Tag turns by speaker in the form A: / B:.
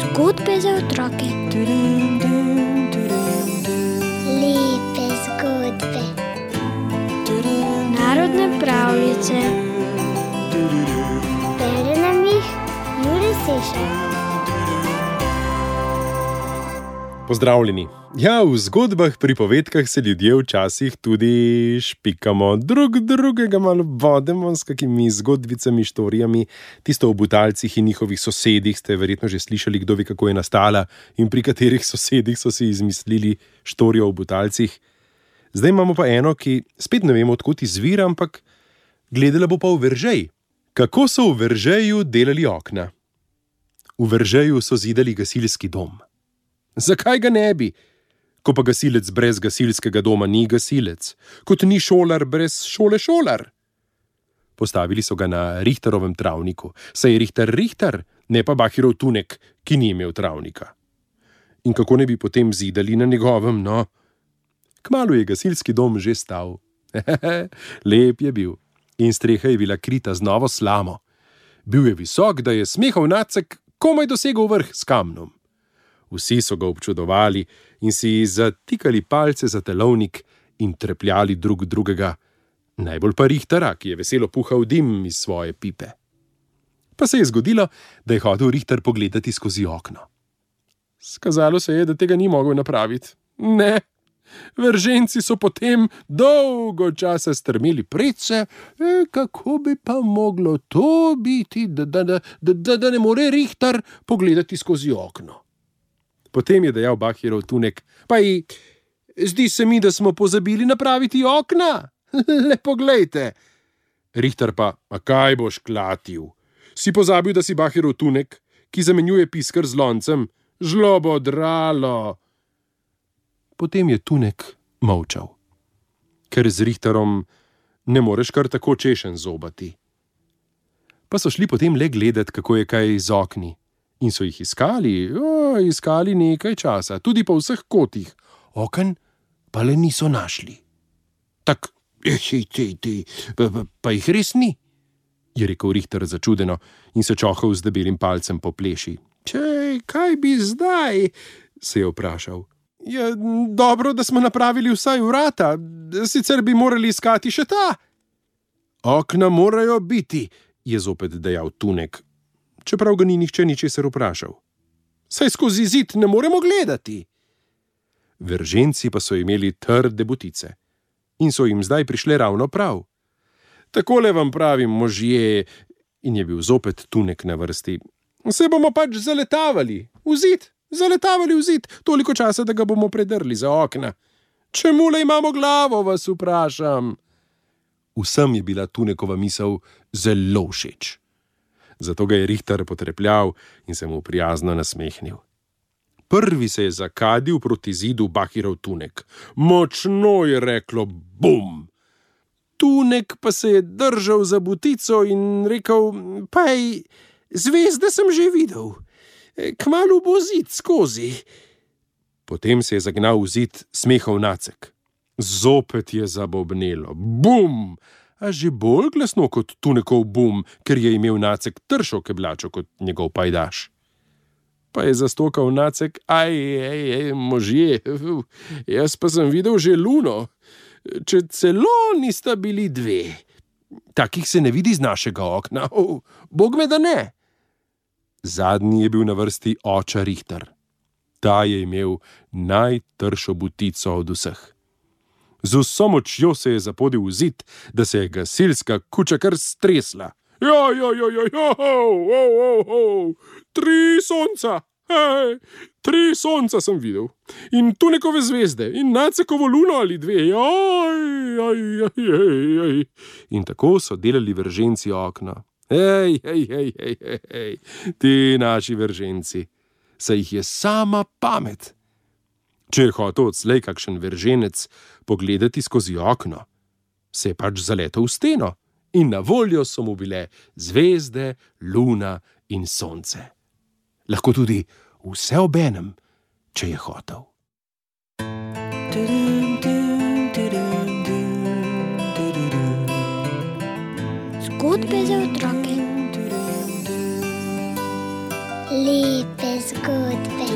A: Zgodbe za otroke. Lepe zgodbe. Narodne pravljice. Bere nam jih Jure Sešar.
B: Pozdravljeni. Ja, v zgodbah, pripovedkah se ljudje včasih tudi špikamo, drug drugega malo vodemo s kakimi zgodbicami, štorijami. Tisto o Butalcih in njihovih sosedih ste verjetno že slišali, kdo ve, kako je nastala in pri katerih sosedih so si izmislili štorijo o Butalcih. Zdaj imamo pa eno, ki spet ne vemo, odkot izvira, ampak gledala bo pa v Veržej. Kako so v Veržeju delali okna? V Veržeju so zidali gasilski dom. Zakaj ga ne bi? Ko pa gasilec brez gasilskega doma ni gasilec, kot ni šolar brez šole šolar. Postavili so ga na Richterovem travniku, saj je Richter, ne pa Bahirov Tunek, ki ni imel travnika. In kako ne bi potem zidali na njegovem, no? Kmalu je gasilski dom že stal. Lep je bil in streha je bila krita z novo slamo. Bil je visok, da je smehov nacek komaj dosegel vrh s kamnom. Vsi so ga občudovali in si zatikali palce za telovnik in trepljali drug drugega, najbolj pa Richtera, ki je veselo puhal dim iz svoje pipe. Pa se je zgodilo, da je hotel Richter pogledati skozi okno. Skazalo se je, da tega ni mogel napraviti. Ne, Verženci so potem dolgo časa strmeli predse, kako bi pa moglo to biti, da ne more Richter pogledati skozi okno. Potem je dejal Bahirov Tunek: zdi se mi, da smo pozabili napraviti okna. Le poglejte. Richter pa: a kaj boš klatil? Si pozabil, da si Bahirov Tunek, ki zamenjuje pisker z loncem? Žlobodralo. Potem je Tunek molčal, ker z Richterom ne moreš kar tako češen zobati. Pa so šli potem le gledat, kako je kaj z okni. In so jih iskali nekaj časa, tudi po vseh kotih. Oken pa le niso našli. Tak, pa jih res ni, je rekel Richter začudeno in se čohal z debelim palcem po pleši. Kaj bi zdaj? Se je vprašal. Je dobro, da smo napravili vsaj vrata, sicer bi morali iskati še ta. Okna morajo biti, je zopet dejal Tunek, čeprav ga ni nihče ničesar vprašal. Saj skozi zid ne moremo gledati. Verženci pa so imeli trde butice in so jim zdaj prišle ravno prav. Takole vam pravim, možje, in je bil zopet Tunek na vrsti. Se bomo pač zaletavali v zid, toliko časa, da ga bomo predrli za okna. Čemule imamo glavo, vas vprašam. Vsem je bila Tunekova misel zelo všeč. Zato ga je Richter potrepljal in se mu prijazno nasmehnil. Prvi se je zakadil proti zidu Bahirov Tunek. Močno je reklo bum. Tunek pa se je držal za butico in rekel: zvezde sem že videl. Kmalu bo zid skozi. Potem se je zagnal v zid smehov nacek. Zopet je zabobnelo. Bum! A že bolj glasno kot Tunekov bum, ker je imel nacek tršo keblačo kot njegov pajdaš. Pa je zastokal nacek: možje, jaz pa sem videl že luno, če celo nista bili dve. Takih se ne vidi z našega okna, bog me da ne. Zadnji je bil na vrsti oča Richter. Ta je imel najtršo butico od vseh. Z vso močjo se je zapodil v zid, da se je gasilska kuča kar stresla. Tri sonca! 3 sonca sem videl. In Tunekove zvezde, in Nacekovo luno ali 2. In tako so delali Verženci okno. Ti naši Verženci, saj jih je sama pamet. Če je hotel odslej kakšen Verženec pogledati skozi okno, se je pač zaletel v steno in na voljo so mu bile zvezde, luna in sonce. Lahko tudi vse obenem, če je hotel.
A: Zgodbe Zgodbe za otroke. Lepe zgodbe.